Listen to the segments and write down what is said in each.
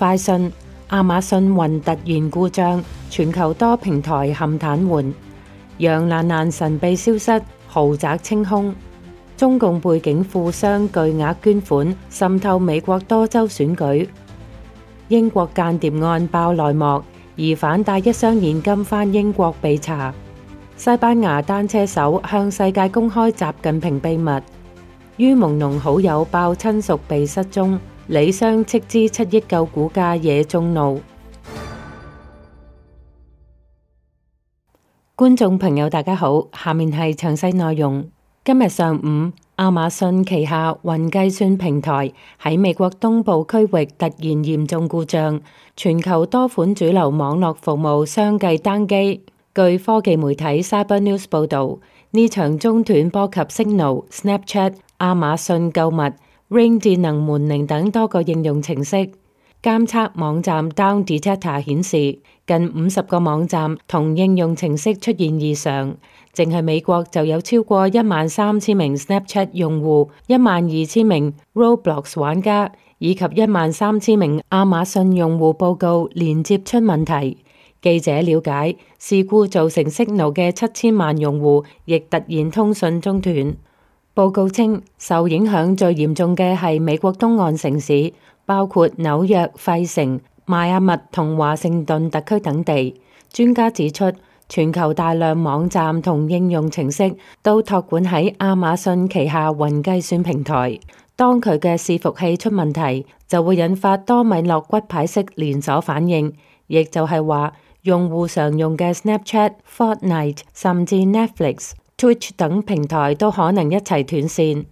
快訊：亞馬遜雲突然故障，全球多平台陷癱瘓。楊蘭蘭神秘消失，豪宅清空。中共背景富商巨額捐款滲透美國多州選舉。英國間諜案爆內幕，疑犯帶一箱現金返英國被查。西班牙單車手向世界公開習近平秘密。於朦朧好友爆親屬被失蹤，李湘斥資7億救股價惹眾怒。觀眾朋友大家好，下面係詳細內容。今日上午，亞馬遜旗下雲計算平台喺美國東部區域突然嚴重故障，全球多款主流網絡服務相繼單機。據科技媒體 Cybernews 報導，呢場中斷波及 Signal、Snapchat、亞馬遜購物、Ring 智能門鈴等多個應用程式。監測網站 Down Detector 顯示，近50個網站同應用程式出現異常。淨係美國就有超過13000名 Snapchat 用戶、12000名 Roblox 玩家以及13000名亞馬遜用戶報告連接出問題。記者了解，事故造成 Signal 嘅7000萬用戶亦突然通訊中斷。報告稱，受影響最嚴重嘅係美國東岸城市，包括紐約、費城、邁阿密同華盛頓特區等地。專家指出，全球大量網站同應用程式都託管喺亞馬遜旗下雲計算平台。當佢嘅伺服器出問題，就會引發多米諾骨牌式連鎖反應，亦就係話，用戶常用嘅 Snapchat、Fortnite 甚至 Netflix、Twitch 等平台都可能一齊斷線。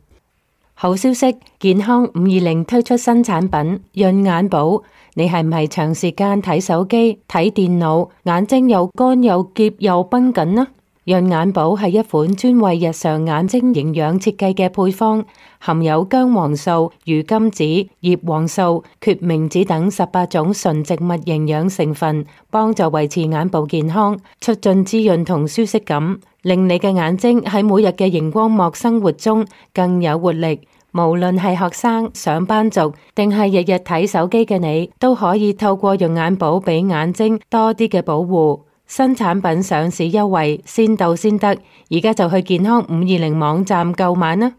好消息，健康520推出新產品潤眼寶。你係唔係長時間睇手機、睇電腦，眼睛又乾又澀又繃緊呢？潤眼寶係一款專為日常眼睛營養設計嘅配方，含有薑黃素、魚甘子、葉黃素、決明子等18種純植物營養成分，幫助維持眼部健康，促進滋潤同舒適感，令你嘅眼睛喺每日嘅熒光幕生活中更有活力。無論係學生、上班族，定係日日睇手機嘅你，都可以透過潤眼寶俾眼睛多啲嘅保護。新產品上市優惠，先到先得，而家就去健康520網站購買啦！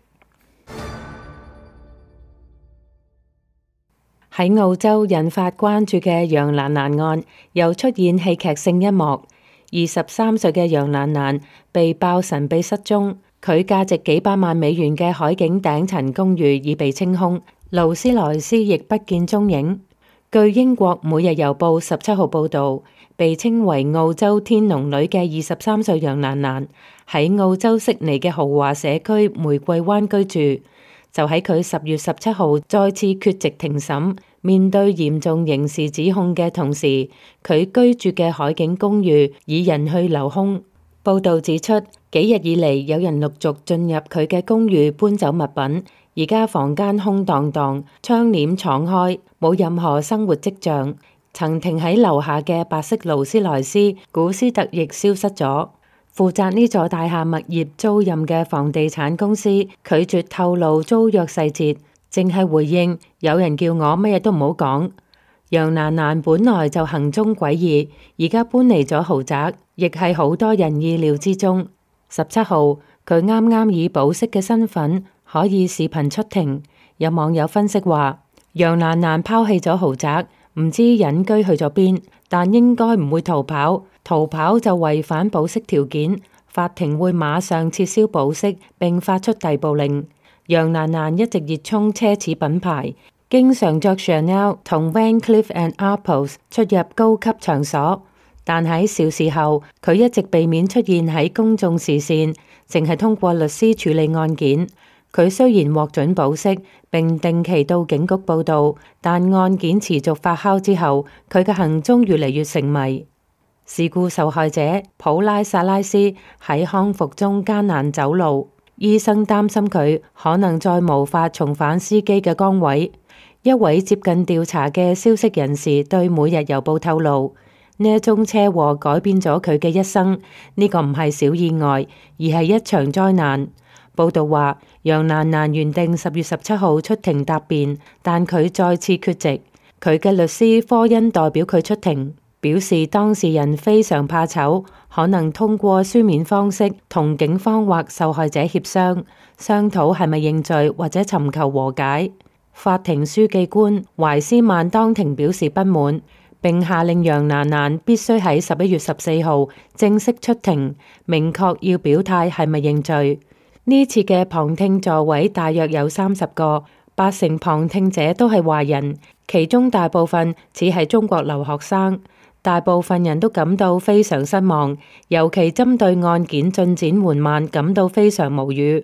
喺澳洲引發關注嘅楊蘭蘭案，又出現戲劇性一幕。23歲嘅楊蘭蘭被爆神秘失蹤，佢價值幾百萬美元嘅海景頂層公寓已被清空，勞斯萊斯亦不見蹤影。據英國每日郵報17號報導，被稱為澳洲天龍女嘅23歲楊蘭蘭喺澳洲悉尼嘅豪華社區玫瑰灣居住。就喺佢10月17號再次缺席庭審，面對嚴重刑事指控嘅同時，佢居住嘅海景公寓已人去樓空。報導指出，幾日以嚟有人陸續進入佢嘅公寓搬走物品，而家房間空蕩蕩，窗簾敞開，冇任何生活跡象。曾停喺樓下嘅白色勞斯萊斯古斯特亦消失咗。負責呢座大廈物業租賃嘅房地產公司拒絕透露租約細節，淨係回應有人叫我乜嘢都唔好講。楊蘭蘭本來就行蹤詭異，而家搬嚟咗豪宅，亦係好多人意料之中。17號，佢啱啱以保釋嘅身份可以視頻出庭。有網友分析話，楊蘭蘭拋棄咗豪宅，唔知隱居去咗邊，但應該唔會逃跑，逃跑就違反保釋條件，法庭會馬上撤銷保釋並發出逮捕令。楊蘭蘭一直熱衷奢侈品牌，經常着 Chanel 同 Van Cleef & Arpels 出入高級場所，但喺肇事後，佢一直避免出現喺公眾視線，淨係通過律師處理案件。佢雖然獲准保釋並定期到警局報到，但案件持續發酵之後，佢嘅行蹤越嚟越成謎。事故受害者普拉薩拉斯喺康復中艱難走路，醫生擔心佢可能再無法重返司機嘅崗位。一位接近調查嘅消息人士對每日郵報透露，呢一宗車禍改變咗佢嘅一生，呢個唔係小意外，而係一場災難。報道話，楊蘭蘭原定10月17號出庭答辯，但佢再次缺席。佢嘅律師科恩代表佢出庭，表示當事人非常怕醜，可能通過書面方式同警方或受害者協商，商討係咪認罪或者尋求和解。法庭書記官懷斯曼當庭表示不滿，並下令楊蘭蘭必須喺11月14號正式出庭，明確要表態係咪認罪。呢次嘅旁聽座位大約有30個，80%旁聽者都係華人，其中大部分只係中國留學生。大部分人都感到非常失望，尤其針對案件進展緩慢感到非常無語。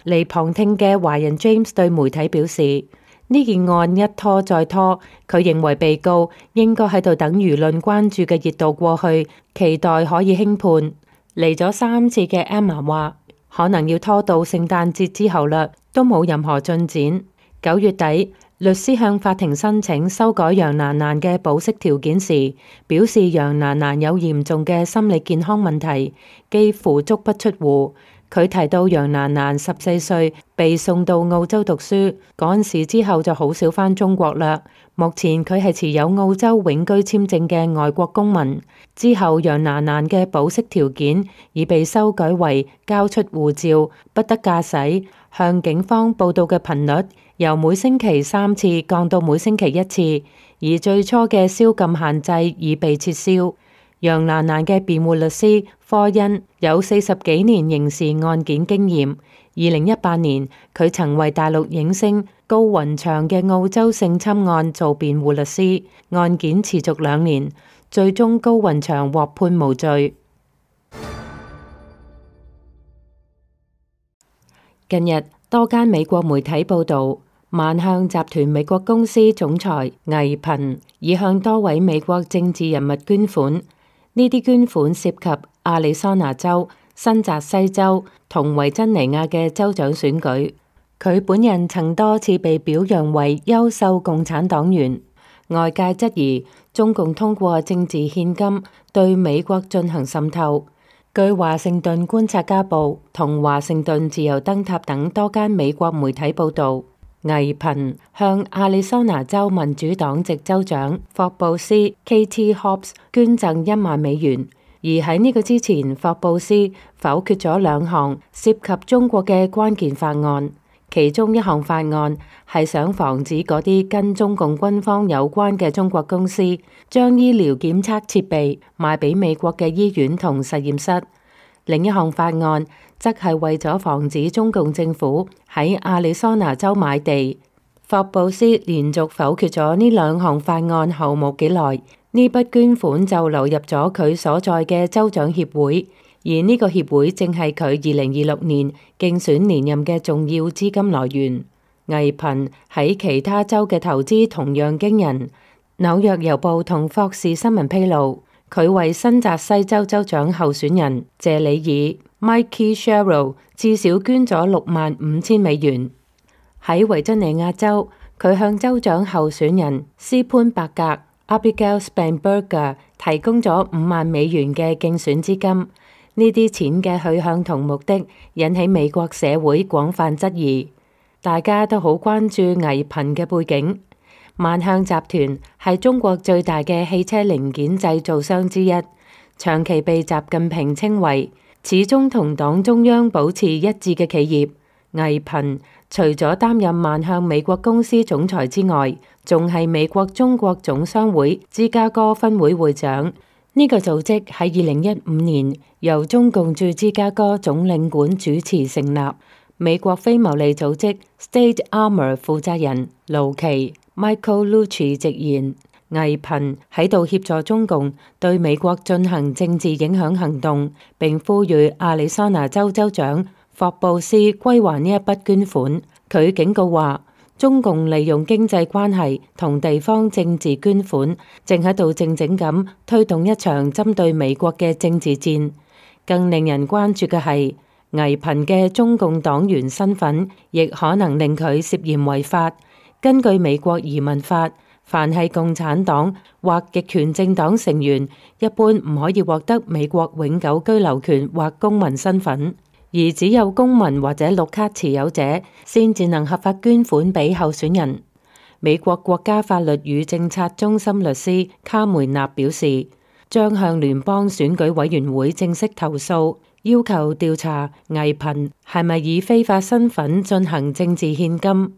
嚟旁聽嘅華人 James 對媒體表示，呢件案一拖再拖，佢認為被告應該喺度等輿論關注嘅熱度過去，期待可以輕判。嚟咗3次嘅 Emma 話，可能要拖到聖誕節之後啦，都冇任何進展。9月底，律師向法庭申請修改楊蘭蘭嘅保釋條件時，表示楊蘭蘭有嚴重嘅心理健康問題，幾乎足不出戶。佢提到楊蘭蘭14歲被送到澳洲讀書，嗰陣時之後就好少返中國啦。目前佢係持有澳洲永居簽證嘅外國公民。之後楊蘭蘭嘅保釋條件已被修改為交出護照、不得駕駛、向警方報到嘅頻率由每星期3次降到每星期1次，而最初嘅宵禁限制已被撤銷。楊蘭蘭嘅辯護律師科恩有40幾年刑事案件經驗。2018年，佢曾為大陸影星高雲翔嘅澳洲性侵案做辯護律師，案件持續2年，最終高雲翔獲判無罪。近日，多間美國媒體報道，萬向集團美國公司總裁倪頻已向多位美國政治人物捐款。呢啲捐款涉及亞利桑那州、新澤西州同維珍尼亞嘅州長選舉。佢本人曾多次被表揚為優秀共產黨員。外界質疑中共通過政治獻金對美國進行滲透。據華盛頓觀察家報同華盛頓自由燈塔等多間美國媒體報道，倪頻向亞利桑那州民主黨籍州長霍布斯 Katie Hobbs 捐贈1萬美元，而喺呢個之前，霍布斯否決咗2項涉及中國嘅關鍵法案，其中一項法案係想防止嗰啲跟中共軍方有關嘅中國公司將醫療檢測設備賣俾美國嘅醫院同實驗室。另一項法案則係為咗防止中共政府喺亞利桑那州買地。霍布斯連續否決咗呢2項法案後冇幾耐，呢筆捐款就流入咗佢所在嘅州長協會，而呢個協會正係佢2026年競選連任嘅重要資金來源。倪頻喺其他州嘅投資同樣驚人。紐約郵報同霍士新聞披露，佢為新澤西州州長候選人謝里爾 Mikey Sherrill 至少捐咗65,000美元。喺維珍尼亞州，佢向州長候選人斯潘伯格 Abigail Spanberger 提供咗5萬美元嘅競選資金。呢啲錢嘅去向同目的引起美國社會廣泛質疑，大家都好關注倪頻嘅背景。萬向集團係中國最大嘅汽車零件製造商之一，長期被習近平稱為始終同黨中央保持一致嘅企業。倪頻除咗擔任萬向美國公司總裁之外，仲係美國中國總商會芝加哥分會會長。呢個組織喺2015年由中共駐芝加哥總領館主持成立。美國非牟利組織 State Armor 負責人盧奇 Michael Lucci 直言，倪頻喺度協助中共對美國進行政治影響行動，並呼籲亞利桑那州州長霍布斯歸還呢一筆捐款。佢警告話，中共利用經濟關係同地方政治捐款，正喺度靜靜咁推動一場針對美國嘅政治戰。更令人關注嘅係，倪頻嘅中共黨員身份，亦可能令佢涉嫌違法。根據美國移民法，凡係共產黨或極權政黨成員，一般唔可以獲得美國永久居留權或公民身份。而只有公民或者綠卡持有者先至能合法捐款俾候選人。美國國家法律與政策中心律師卡梅納表示，將向聯邦選舉委員會正式投訴，要求調查倪萍係咪以非法身份進行政治獻金。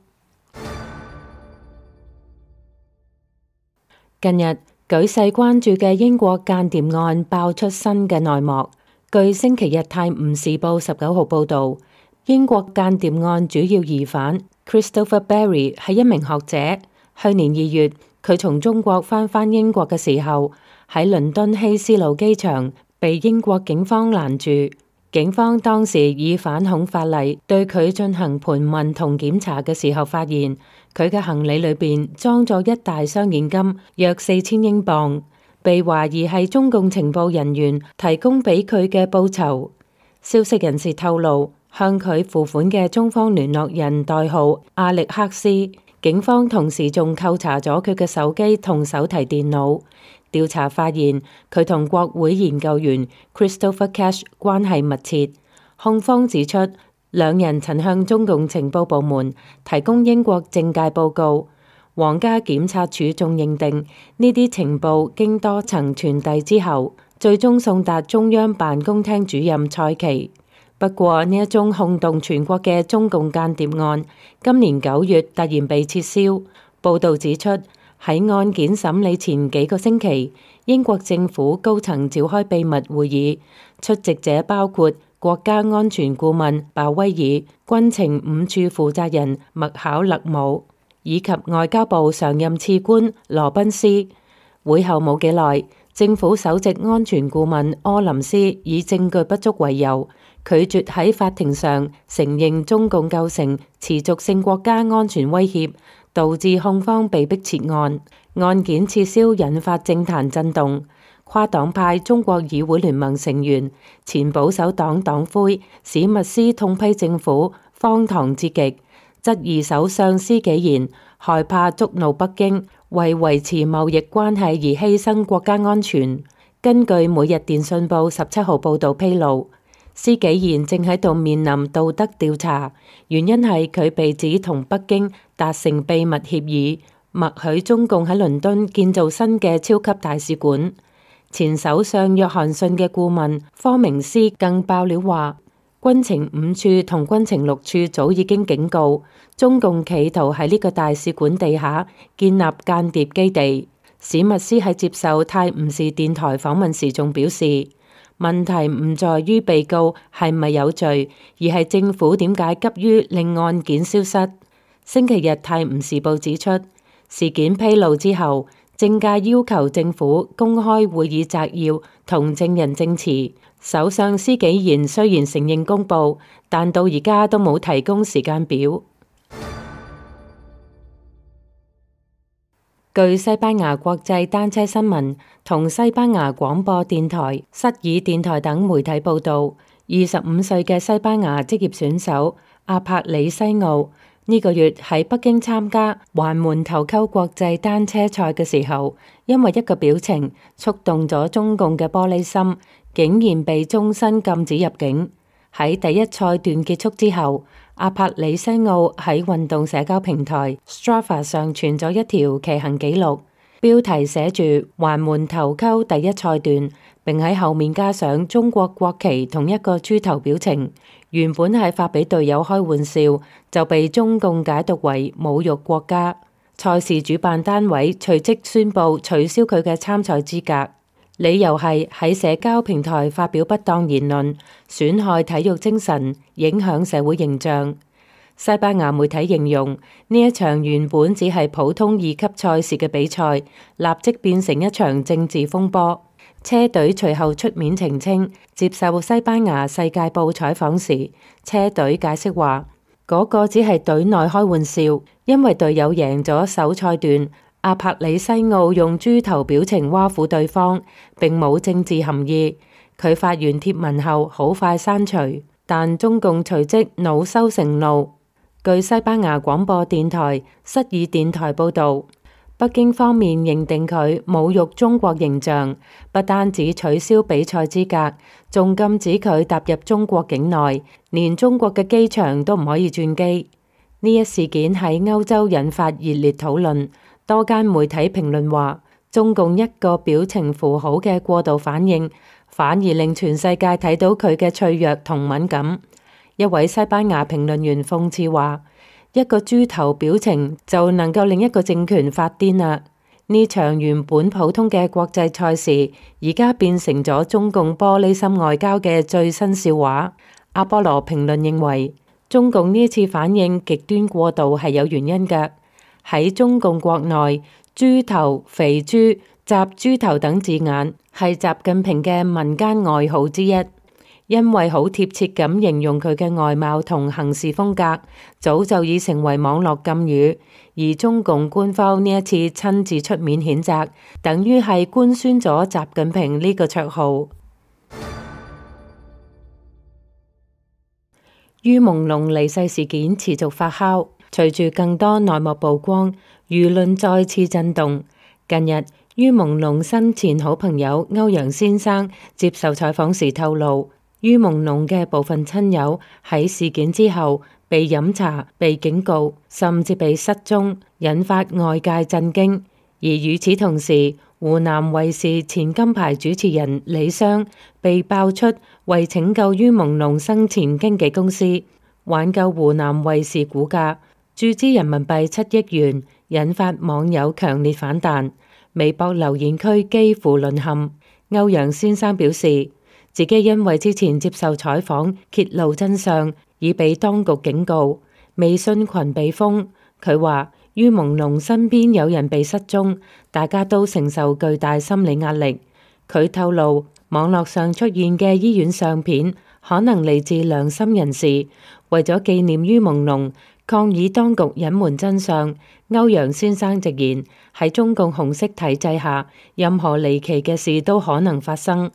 近日舉世關注嘅英國間諜案爆出新嘅內幕。據星期日泰晤士報19號報導，英國間諜案主要疑犯 Christopher Berry 係一名學者。去年2月，佢從中國返英國嘅時候，喺倫敦希斯路機場被英國警方攔住。警方當時以反恐法例對佢進行盤問同檢查嘅時候，發現佢嘅行李裏邊裝咗一大箱現金，約4000英鎊，被懷疑係中共情報人員提供俾佢嘅報酬。消息人士透露，向佢付款嘅中方聯絡人代號阿力克斯，警方同時仲扣查咗佢嘅手機同手提電腦。調查發現佢同國會研究員 Christopher Cash 關係密切。控方指出，兩人曾向中共情報部門提供英國政界報告。皇家檢察署仲認定呢啲情報經多層傳遞之後，最終送達中央辦公廳主任蔡奇。不過呢一宗轟動全國嘅中共間諜案，今年9月突然被撤銷。報道指出，喺案件審理前幾個星期，英國政府高層召開秘密會議，出席者包括國家安全顧問鮑威爾、軍情5處負責人麥考勒姆以及外交部常任次官羅賓斯。會後冇幾耐，政府首席安全顧問柯林斯以證據不足為由，拒絕喺法庭上承認中共構成持續性國家安全威脅，導致控方被迫撤案。案件撤銷引發政壇震動，跨黨派中國議會聯盟成員、前保守黨黨魁史密斯痛批政府荒唐至極，質疑首相施紀賢害怕觸怒北京，為維持貿易關係而犧牲國家安全。根據每日電訊報17號報導披露，施紀賢正喺度面臨道德調查，原因係佢被指同北京達成秘密協議，默許中共喺倫敦建造新嘅超級大使館。前首相約翰遜嘅顧問科明斯更爆料話，軍情5處同軍情6處早已經警告中共企圖喺呢個大使館地下建立間諜基地。史密斯喺接受泰晤士電台訪問時仲表示，問題唔在於被告係咪有罪，而係政府點解急於令案件消失。星期日泰晤士報指出，事件披露之後，政界要求政府公開會議摘要同證人證詞。首相施紀賢雖然承認公佈，但到而家都冇提供時間表。據西班牙國際單車新聞同西班牙廣播電台、失爾電台等媒體報道，25歲嘅西班牙職業選手阿帕里西奧呢個月喺北京參加環門頭溝國際單車賽嘅時候，因為一個表情觸動咗中共嘅玻璃心，竟然被終身禁止入境。喺第一賽段結束之後，阿帕里西奧喺運動社交平台 Strava 上傳咗一條騎行紀錄，標題寫住環門頭溝第一賽段，並喺後面加上中國國旗同一個豬頭表情。原本係發俾隊友開玩笑，就被中共解讀為侮辱國家。賽事主辦單位隨即宣布取消佢嘅參賽資格，理由係喺社交平台發表不當言論，損害體育精神，影響社會形象。西班牙媒體形容呢一場原本只係普通2級賽事嘅比賽，立即變成一場政治風波。車隊隨後出面澄清，接受西班牙世界報採訪時，車隊解釋話嗰個只係隊內開玩笑，因為隊友贏咗首賽段，阿帕里西奧用豬頭表情挖苦對方，並冇政治含義。佢發完貼文後好快刪除，但中共隨即惱羞成怒。據西班牙廣播電台、失爾電台報導，北京方面認定佢侮辱中國形象，不單止取消比賽資格，仲禁止佢踏入中國境內，連中國嘅機場都唔可以轉機。呢一事件喺歐洲引發熱烈討論，多間媒體評論話，中共一個表情符號嘅過度反應，反而令全世界睇到佢嘅脆弱同敏感。一位西班牙評論員諷刺話，一個豬頭表情就能夠令一個政權發癲啦！呢場原本普通嘅國際賽事，而家變成咗中共玻璃心外交嘅最新笑話。阿波羅評論認為，中共呢次反應極端過度係有原因嘅。喺中共國內，豬頭、肥豬、習豬頭等字眼係習近平嘅民間外號之一。因為好貼切咁形容佢嘅外貌同行事風格，早就已成為網絡禁語。而中共官方呢一次親自出面譴責，等於係官宣咗習近平呢個綽號。于朦朧離世事件持續發酵，隨住更多內幕曝光，輿論再次震動。近日，于朦朧生前好朋友歐陽先生接受採訪時透露，于朦朧嘅部分親友喺事件之後被飲茶、被警告，甚至被失蹤，引發外界震驚。而與此同時，湖南衛視前金牌主持人李湘被爆出為拯救于朦朧生前經紀公司挽救湖南衛視股價，注資人民幣7億元，引發網友強烈反彈，微博留言區幾乎淪陷。歐陽先生表示，自己因為之前接受採訪揭露真相，已被當局警告，微信群被封。佢話于朦朧身邊有人被失蹤，大家都承受巨大心理壓力。佢透露，網絡上出現嘅醫院相片可能嚟自良心人士，為咗紀念于朦朧，抗議當局隱瞞真相。歐陽先生直言，喺中共紅色體制下，任何離奇嘅事都可能發生。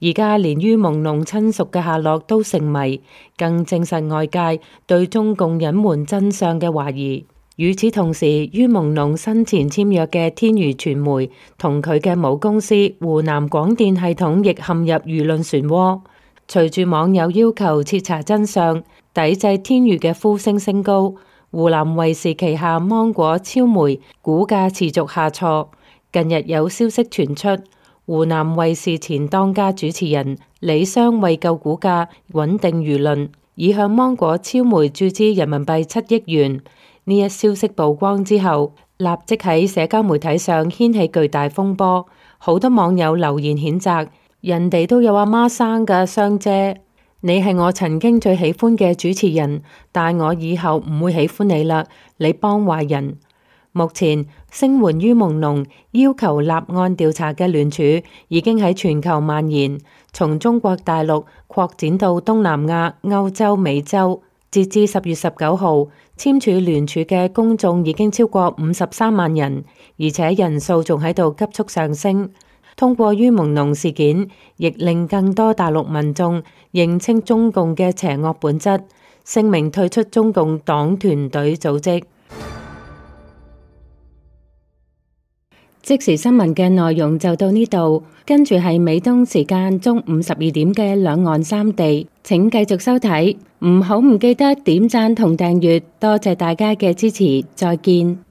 而家連于朦朧親屬嘅下落都成謎，更證實外界對中共隱瞞真相嘅懷疑。與此同時，于朦朧生前簽約嘅天娛傳媒同佢嘅母公司湖南廣電系統亦陷入輿論漩渦。隨住網友要求徹查真相，抵制天娛嘅呼聲升高，湖南衛視旗下芒果超媒股價持續下挫。近日有消息傳出，湖南衛視前當家主持人李湘為救股價、穩定輿論，已向芒果超媒注資人民幣7億元。呢一消息曝光之後，立即喺社交媒體上掀起巨大風波，好多網友留言譴責，人哋都有阿媽生㗎，湘姐，你係我曾經最喜歡嘅主持人，但我以後唔會喜歡你啦，你幫壞人。目前聲援于朦朧要求立案調查嘅聯署已經喺全球蔓延，從中國大陸擴展到東南亞、歐洲、美洲。截至10月19號，簽署聯署嘅公眾已經超過53萬人，而且人數仲喺度急速上升。通過于朦朧事件，亦令更多大陸民眾認清中共嘅邪惡本質，聲明退出中共黨團隊組織。即時新聞嘅內容就到呢度，跟住係美東時間中午12點嘅兩岸三地，請繼續收睇，唔記得點讚同訂閱，多謝大家嘅支持，再見。